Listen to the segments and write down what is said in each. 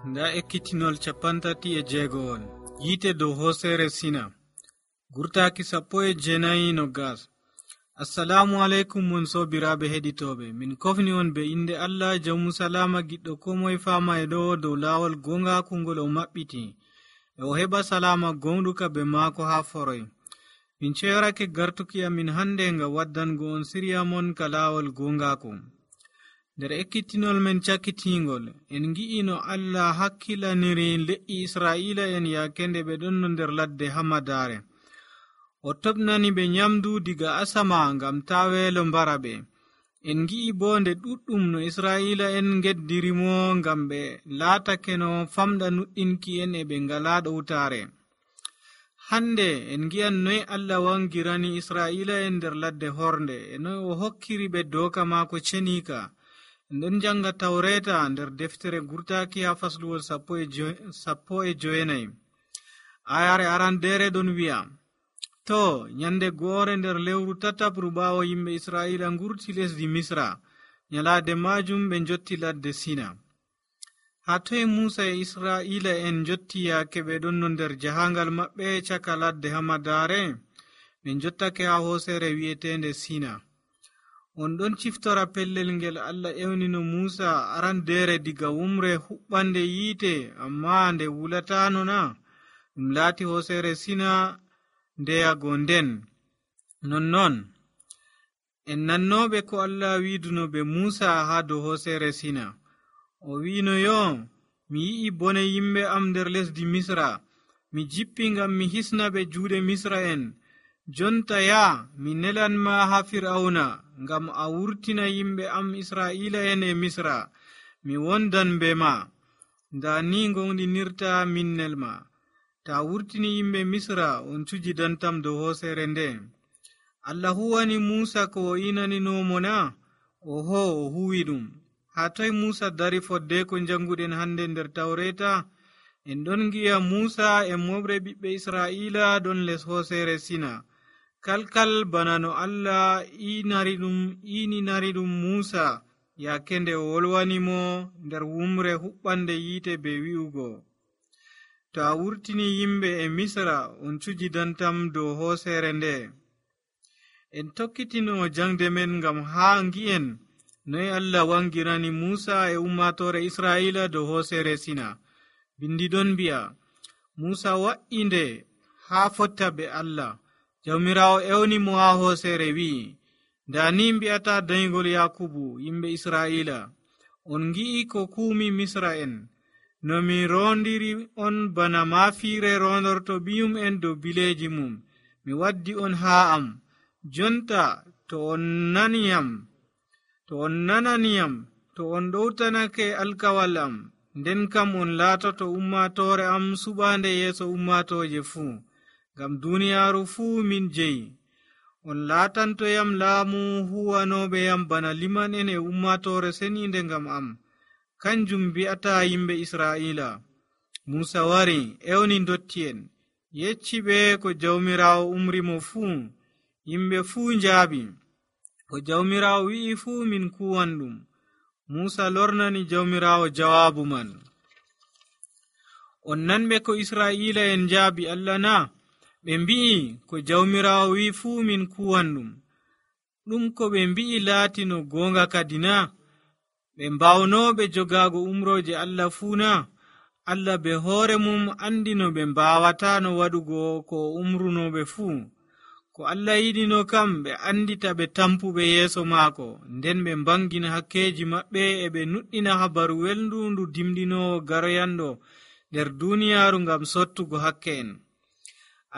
nda ekkitinol 36 yiite dow hoosere Sina gurtaaki 19 assalamu aleykum mon sobiraaɓe heɗitooɓe, min kofni on be inde Allah jawmu salama giɗɗo ko moye faama e ɗo dow laawol gongaaku ngol o maɓɓiti e o heɓa salama gonɗuka be maako haa foroy. Min ceerake gartuki amin hande nga waddango on siriya mon ka laawol gongaaku. Nder ekkitinol men cakkitingol en gi'i no Allah hakkilaniri le'i Israa'ila en yaakende ɓe ɗon no nder ladde Hamadaare. O toɓnani ɓe nyamdu diga asama ngam ta weelo mbara ɓe. En gi'i bo nde ɗuɗɗum no Israa'ila en geddirimo ngam ɓe laatake no famɗa nuɗɗinki en e ɓe ngala ɗowtaare. Hande en gi'an noy Allah wangirani Israa'ila en nder ladde hornde e noy o hokkiri ɓe dooka maako ceniika. En ɗon janga tawreta nder deftere gurtaaki ha fasluwol 19 ayare arandere ɗon wi'a, to nyande goore nder lewru tatabru ɓaawo yimɓe Israa'ila ngurti lesdi Misra, nyalaade majum ɓe jotti ladde Sina. Ha toye Musa e Israa'ila en jotti yaake ɓe ɗon no nder jahangal maɓɓe caka ladde Hamadaare? ɓe jottake ha hoosere wi'etende Sina. On ɗon ciftora pellel ngel Allah ewnino Musa arandere diga wumre huɓɓande yiite, amma nde wulatano na? Ɗum laati hoosere Sina ndeyago nden. Nonnon en nannoɓe ko Allah widuno be Musa ha dow hoosere Sina. O wino yo, mi yi'i bone yimɓe am nder lesdi Misra, mi jippi ngam mi hisna ɓe juuɗe Misra en. Jonta ya, mi nelanma ha Fir'auna ngam a wurtina yimɓe am Israa'ila en e Misra, mi wondan be ma. Nda ni gonɗinirta minnel ma. Ta wurtini yimɓe Misra, on cujidantam dow hoosere nde. Allah huwani Musa ko o inaninomo na? Oho, o huwi ɗum. Ha toy Musa dari fodde ko janguɗen hande nder Tawreta? En ɗon gi'a Musa e moɓre ɓiɓɓe Israa'ila ɗon les hoosere Sina. Kalkal bana no Allah ininari ɗum Musa yaakende o wolwanimo nder wumre huɓɓande yiite be wi'ugo, to a wurtini yimɓe e Misra, on cujidantam dow hoosere nde. En tokkitino jangde men ngam haa ngi'en noy Allah wangirani Musa e ummatore Israa'ila dow hoosere Sina. Bindi ɗon mbi'a, Musa wa'i nde haa fotta be Allah. Jawmirawo ewni mo ha hoosere wi'i, nda ni mbi'ata dayngol Yakubu yimɓe Israa'ila, on ngi'i ko kuumi Misra en, no mi rondiri on bana maafiire rondorto biyum en dow bileeji mum. Mi waddi on haa am. Jonta to on nananiyam, to on ɗowtanake alkawal am, nden kam on laatoto ummatore am suɓaande yeeso ummatoje fuu. Ngam duniyaaru fuu min jeyi. On laatantoyam laamu huwanoɓe yam bana liman en e ummatore seninde ngam am. Kanjum mbi'ata yimɓe Israa'ila. Musa wari ewni dotti en, yecci ɓe ko jawmirawo umrimo fuu. Yimɓe fuu njaabi, ko jawmirawo wi'i fuu min kuwan ɗum. Musa lornani jawmirawo jawaabu man. On nanɓe ko Israa'ila en njaabi Allah na? Ɓe mbi'i ko jawmirawo wi fuu min kuwan ɗum. Ɗum ko ɓe mbi'i laati no gonga kadi na? Ɓe mbawnoɓe jogago umroje Allah fuu na? Allah be hoore mum andi no ɓe mbawata no waɗugo ko umrunoɓe fuu. Ko Allah yiɗino kam ɓe andita ɓe tampuɓe yeeso maako, nden ɓe mbangina hakkeji maɓɓe e ɓe nuɗɗina habaru welndu ndu dimɗinowo garoyanɗo nder duniyaaru ngam sottugo hakke en.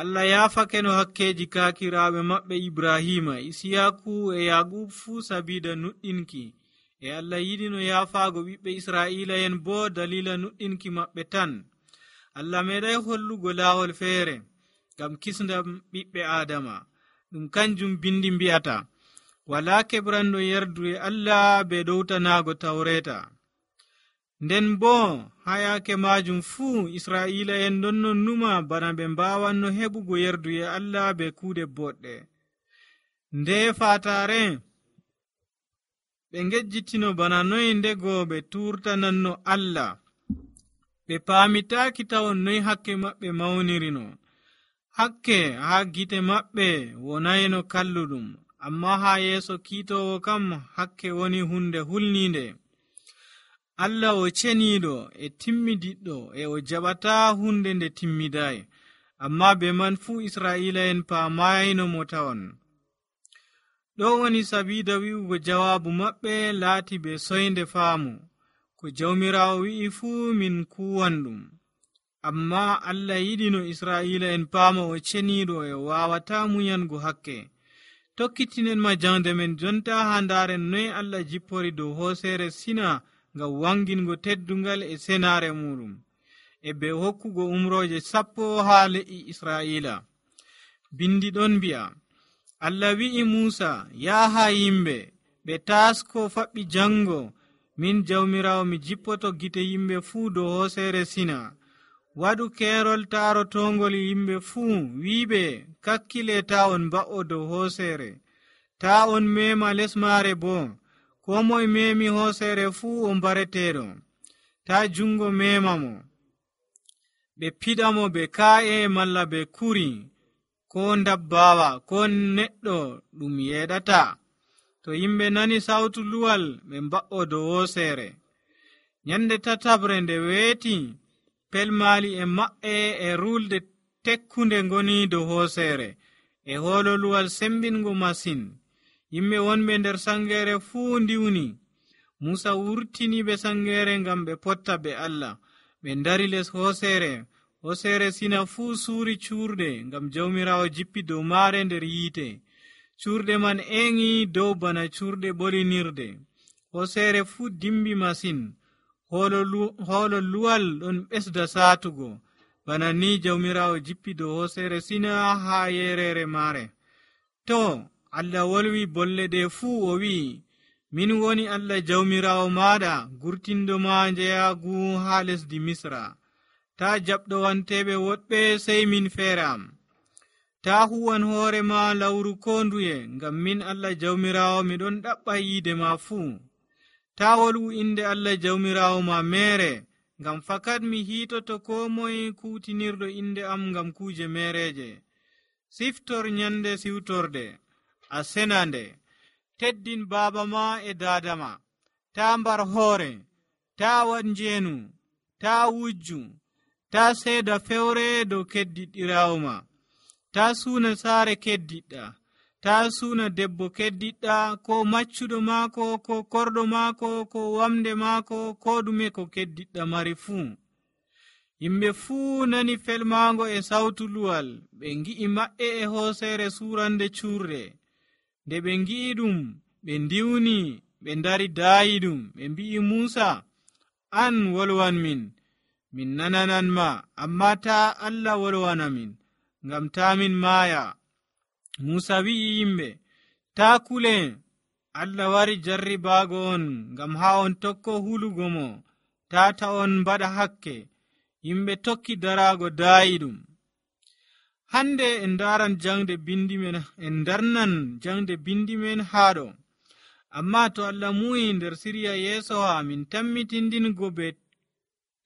Allah yaafake no hakkeji kaakiraaɓe maɓɓe Ibrahima, Isiyaku e Yaqub fuu sabida nuɗɗinki, e Allah yiɗi no yaafaago ɓiɓɓe Israa'ila en bo dalila nuɗɗinki maɓɓe tan. Allah meeɗay hollugo laawol feere ngam kisndam ɓiɓɓe Adama. Ɗum kanjum bindi mbi'ata, walaa keɓranɗo yerdu e Allah be ɗowtanaago Tawreta. Nden bo ha yaake majum fuu Israa'ila en ɗon non numa bana ɓe mbawanno heɓugo yerdu e Allah be kuuɗe boɗɗe. Nde fatare ɓe ngejjitino bana noy ndego ɓe turtananno Allah. ɓe paamitaaki tawon noy hakke maɓɓe mawnirino. Hakke haa gite maɓɓe wonayno kalluɗum, amma haa yeeso kiitoowo kam hakke woni hunde hulniinde. Allah o ceniiɗo e timmidiɗɗo e o jaɓataa hunde nde timmiday, amma be man fuu Israa'ila'en paamayno mo tawon. Ɗo woni sabiida wi'ugo jawaabu maɓɓe laati be soynde faamu. Ko Jawmiraawo wi'i fuu min kuwan ɗum. Amma Allah yiɗino Israa'ila'en paama o ceniiɗo e waawataa munyango hakke. Tokkitinen ma jangde men jonta haa ndaaren noy Allah jippori dow hooseere Sina ngam wangingo teddungal e senaare muɗum, e be hokkugo umrooje 10 haa le'i Israa'ila. Bindi ɗon mbi'a, Allah wi'i Muusa, yaha yimɓe ɓe taasko faɓɓi jango, min Jawmiraawo mi jippoto gite yimɓe fuu dow hooseere Sina. Waɗu keerol taarotongol yimɓe fuu, wi'iɓe kakkile ta on mba'o dow hooseere, ta on mema les maare boo. Ko moye memi hooseere fuu o mbareteeɗo, ta jungo mema mo. Ɓe piɗa mo be kaa'e malla be kuri, ko ndabbawa ko neɗɗo ɗum yeɗata. To yimɓe nani sawtu luwal ɓe mba'o dow hooseere. Nyande tatabre nde weeti, pelmaali e maɓɓe e rulde tekkunde ngoni dow hooseere, e hoolo luwal sembingo masin. Yimɓe wonɓe nder sangeere fuu ndiwni. Musa wurtini ɓe sangeere ngam ɓe potta be Allah. Ɓe ndari les hooseere. Hooseere Sina fuu suuri cuurde ngam Jawmiraawo jippi dow maare nder yiite. Cuurde man eŋi dow bana cuurde ɓolinirde. Hooseere fuu dimbi masin. Hoolo luwal ɗon ɓesda saatugo. Bana ni Jawmiraawo jippi dow hooseere Sina haa yereere maare. To Allah wolwi bolle ɗe fuu o wi'i, min woni Allah Jawmiraawo maaɗa, gurtindo ma njeyaagu haa lesdi Misra. Ta jaɓɗo wanteɓe woɗɓe sey min feere am. Ta huwan hoore ma lawru ko nduye, ngam min Allah Jawmiraawo miɗon ɗaɓɓa yiide ma fuu. Ta wolwu inde Allah Jawmiraawo ma meere, ngam fakat mi hiitoto ko moye kuutinirɗo inde am ngam kuuje meereje. Siftor nyande siwtorde, a senande. Teddin baaba ma e daada ma. Ta mbar hoore, ta waɗ njeenu, ta wujju, ta seeda fewre dow keddiɗɗiraawo ma. Ta suuna saare keddiɗɗa, ta suuna debbo keddiɗɗa, ko maccuɗo maako, ko korɗo maako, ko wamde maako, ko ɗume ko keddiɗɗa mari fuu. Yimɓe fuu nani felmaango e sawtu luwal, ɓe ngi'i maɓɓe e hooseere suurande cuurde. Nde ɓe ngi'i ɗum, ɓe ndiwni, ɓe ndari daayi ɗum, ɓe mbi'i Muusa, an wolwan min nananan ma, amma ta Allah wolwana min, ngam ta min maaya. Muusa wi'i yimɓe, ta kule, Allah wari jarribaago on, ngam haa on tokko hulugo mo, ta on mbaɗa hakke. Yimɓe tokki daraago daayi ɗum. Hande en darnan jangde bindi men haɗo. Amma to Allah muyi nder siriya yeeso ha min tammitindingo be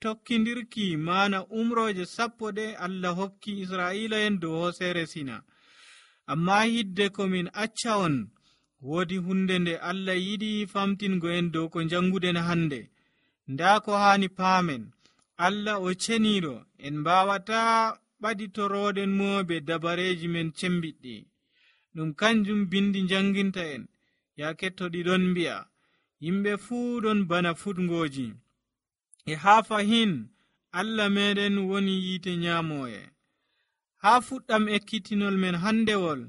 tokkidirki mana umroje 10 ɗe Allah hokki Israa'ila'en dow hooseere Sina. Amma hidde ko min acca on, woodi hunde nde Allah yiɗi famtingo en dow ko janguden hande. Nda ko hani paamen, Allah o ceniiɗo, en mbawata ɓaditoroɗen mo be dabareji men cembiɗɗi. Ɗum kanjum bindi janginta en, ya kettoɗi ɗon mbi'a, yimɓe fuu ɗon bana futgoji, e haa fahin Allah meɗen woni yiite nyamoye. Haa fuɗɗam ekkitinol men handewol,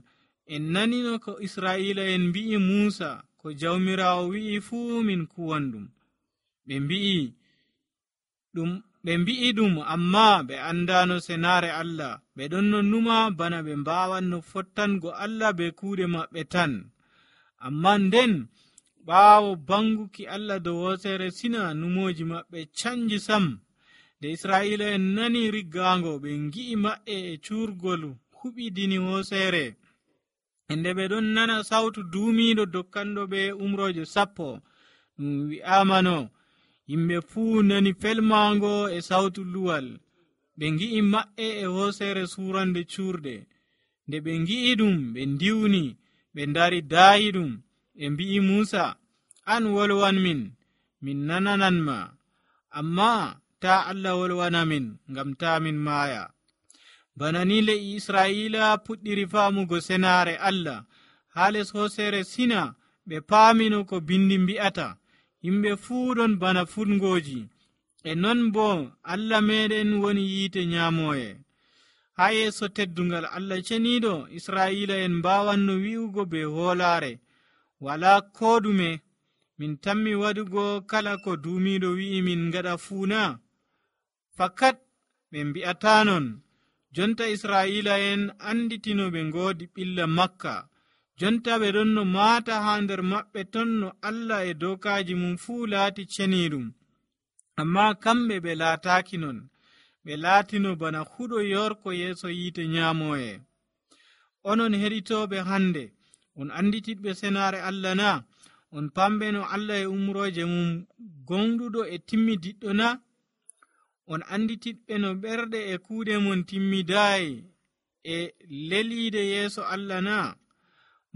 en nanino ko Israa'ila'en mbi'i Muusa, ko Jawmiraawo wi'i fuu min kuwan ɗum. Ɓe mbi'i ɗum, amma ɓe andano senaare Allah. Ɓe ɗon no numa bana ɓe mbawanno fottango Allah be kuuɗe maɓɓe tan. Amma nden ɓaawo banguki Allah dow hooseere Sina, numoji maɓɓe canji sam. Nde Israa'ila'en nani riggaango, ɓe ngi'i maɓɓe e cuurgol huɓidini hooseere. Nde ɓe ɗon nana sautu duumiiɗo dokkanɗo ɓe umroje 10, ɗum wi'amano, Yimɓe fuu nani felmaango e sawtu luwal. Ɓe ngi'i maɓɓe e hooseere suurande cuurde. Nde ɓe ngi'i ɗum, ɓe ndiwni, ɓe ndari daayi ɗum. Ɓe mbi'i Muusa, an wolwanmin, min nananan ma. Ammaa taa Allah wolwana min, ngam taa min maaya. Bana ni le'i Israa'iila puɗɗiri faamugo senaare Allah. Haa les hooseere Sina ɓe paamino ko bindi mbi'ata. Yimɓe fuu ɗon bana funngooji. E non boo Allah meeɗen woni yiite nyaamoye. Haa yeeso teddungal Allah ceniiɗo, Israa'iila'en mbaawanno wi'ugo be hoolaare, walaa koo ɗume. Min tammi waɗugo kala ko duumiiɗo wi'i min ngaɗa fuu na? Fakat ɓe mbi'ataa non. Jonta Israa'iila'en anditino ɓe ngoodi ɓilla Makka. Jonta ɓe ɗon no maata haa nder maɓɓe ton no Allah e dookaaji mum fuu laati ceniiɗum. Ammaa kamɓe ɓe laataaki non. Ɓe laatino bana huɗo yorko yeeso yiite nyaamoye. Onon heɗitooɓe hande, on anditiɗɓe senaare Allah na? On pamɓe no Allah e umrooje mum gonɗuɗo e timmidiɗɗo na? On anditiɗɓe no ɓerɗe e kuuɗe mon timmidaayi e leliide yeeso Allah na?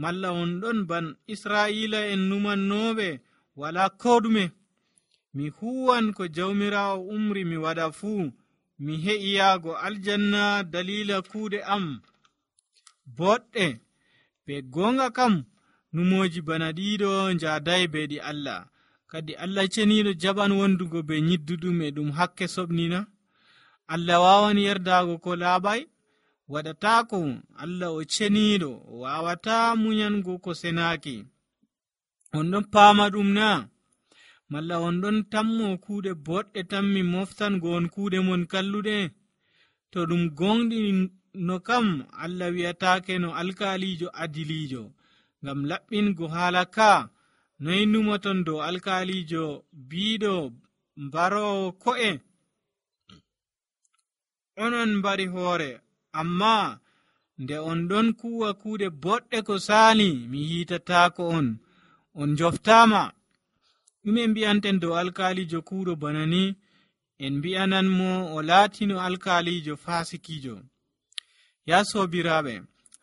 Malla on ɗon ban Israa'iila en numannooɓe walaa koo ɗume? Mi huwan ko Jawmiraawo umri mi waɗa fuu, mi heƴi yaago aljanna daliila kuuɗe am boɗɗe. Be goonga kam numooji bana ɗiɗo njaaday beeɗi Allah. Kadi Allah ceniiɗo jaɓan wondugo be nyidduɗum e ɗum hakke soɓnina. Allah waawan yerdaago ko laaɓay? Waɗataako. Allah o ceniiɗo, o waawataa munyango ko senaaki. On ɗon paama ɗum na? Malla on ɗon tammo kuuɗe boɗɗe tan mi moftango on kuuɗe mon kalluɗe? To ɗum gonɗi no kam Allah wi'ataake no alkaalijo adiliijo. Ngam laɓɓingo haala ka, noy numoton dow alkaalijo biiɗo mbaroowo ko'e? Onon mbari hoore, ammaa nde on ɗon kuuwa kuuɗe boɗɗe ko saali, mi hiitataako on. On njoftaama. Ɗume mbi'anten dow alkaalijo kuuɗo bana ni? En mbi'anan mo o laatino alkaalijo faasikijo. Ya soobiraaɓe,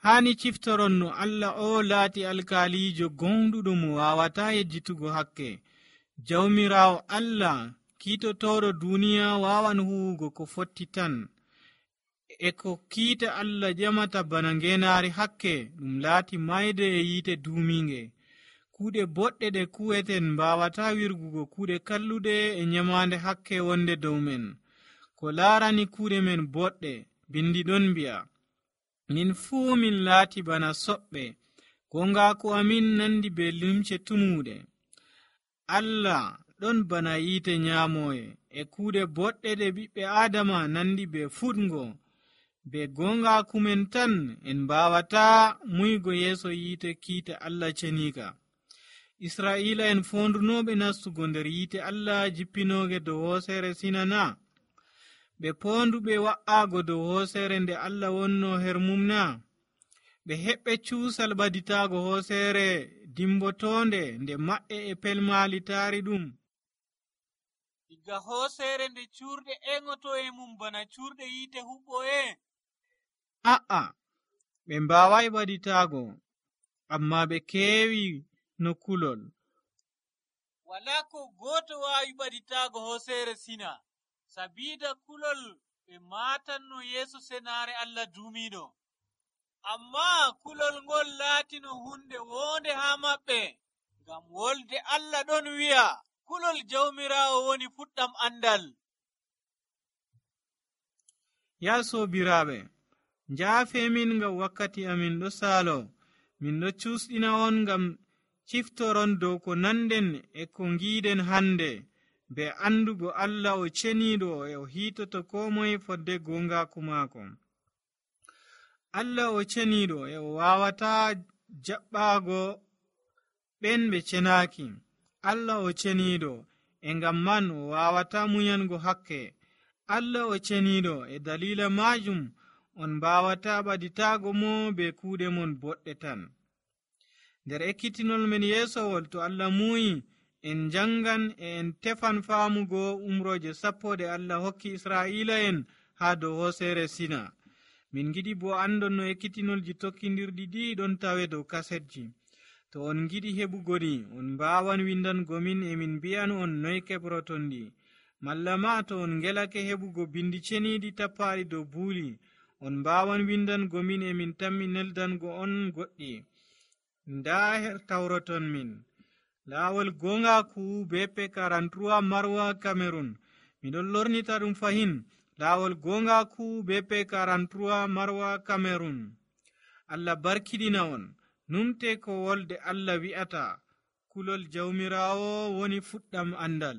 haani ciftoron no Allah o laati alkaalijo gonɗuɗo mo waawataa yejjitugo hakke. Jawmiraawo Allah kiitotooɗo duuniya waawan huwugo ko fotti tan. E ko kiita Allah ƴamata bana ngeenaari hakke, ɗum laati mayde e yiite duumiinge. Kuuɗe boɗɗe ɗe kuweten mbaawataa wirgugo kuuɗe kalluɗe e nyamaande hakke wonde dow men. Ko laarani kuuɗe men boɗɗe, bindi ɗon mbi'a, min fuu min laati bana soɓɓe, gongaaku amin nandi be limce tumuuɗe. Allah ɗon bana yiite nyaamoye, e kuuɗe boɗɗe ɗe ɓiɓɓe Aadama nandi be fuɗngo. Be gongaaku men tan en mbaawataa muygo yeeso yiite kiita Allah ceniika. Israa'iila en foondunooɓe nastugo nder yiite Allah jippinooge dow hooseere Sina na? Ɓe poonduɓe wa'aago dow hooseere nde Allah wonno her mum na? Ɓe heɓɓe cuusal ɓaditaago hooseere dimbotoonde nde maɓɓe e pelmaali taari ɗum. Diga hooseere nde cuurɗe eŋoto e mum bana cuurɗe yiite huɓɓoye? A'a, ɓe mbaaway ɓaditaago, ammaa ɓe keewi no kulol. Walaa ko gooto waawi ɓaditaago hooseere Sina, sabiida kulol ɓe maatanno yeeso senaare Allah duumiiɗo. Ammaa kulol ngol laatino hunde woonde haa maɓɓe, ngam wolde Allah ɗon wi'a, kulol Jawmiraawo woni fuɗɗam andal. Ya soobiraaɓe, njaafeemin ngam wakkati amin ɗo saalo. Min ɗo cuusɗina on ngam ciftoron dow ko nanden e ko ngiiden hande, be andugo Allah o ceniiɗo e o hiitoto koo moye fodde gongaaku maako. Allah o ceniiɗo e o waawataa jaɓɓaago ɓen ɓe cenaaki. Allah o ceniiɗo e ngam man o waawataa munyango hakke. Allah o ceniiɗo e daliila maajum on mbaawataa ɓaditaago mo be kuuɗe mon boɗɗe tan. Nder ekkitinol men yeesowol, to Allah muuyi en jangan e en tefan faamugo umroje sappo ɗe Allah hokki Israa'ila'en haa dow hooseere Sina. Min giɗi bo andon no ekkitinolji tokkindirɗi ɗi ɗon tawe dow kasetji. To on giɗi heɓugo ni, on mbaawan windango min emin mbi'an on noy keɓroton ɗi. Malla ma to on ngelake heɓugo bindi ceniiɗi tappaaɗi dow buuli, on mbaawan windango min emin tammi neldango on goɗɗi. Ndaa tawroton min. Laawol gongaku BP 43 Marwa Cameroon. Miɗon lornita ɗum fahin. Laawol gongaku BP 43 Marwa Cameroon. Allah barkiɗina on. Numte ko wolde Allah wi'ata. Kulol jawmirawo woni fuɗɗam andal.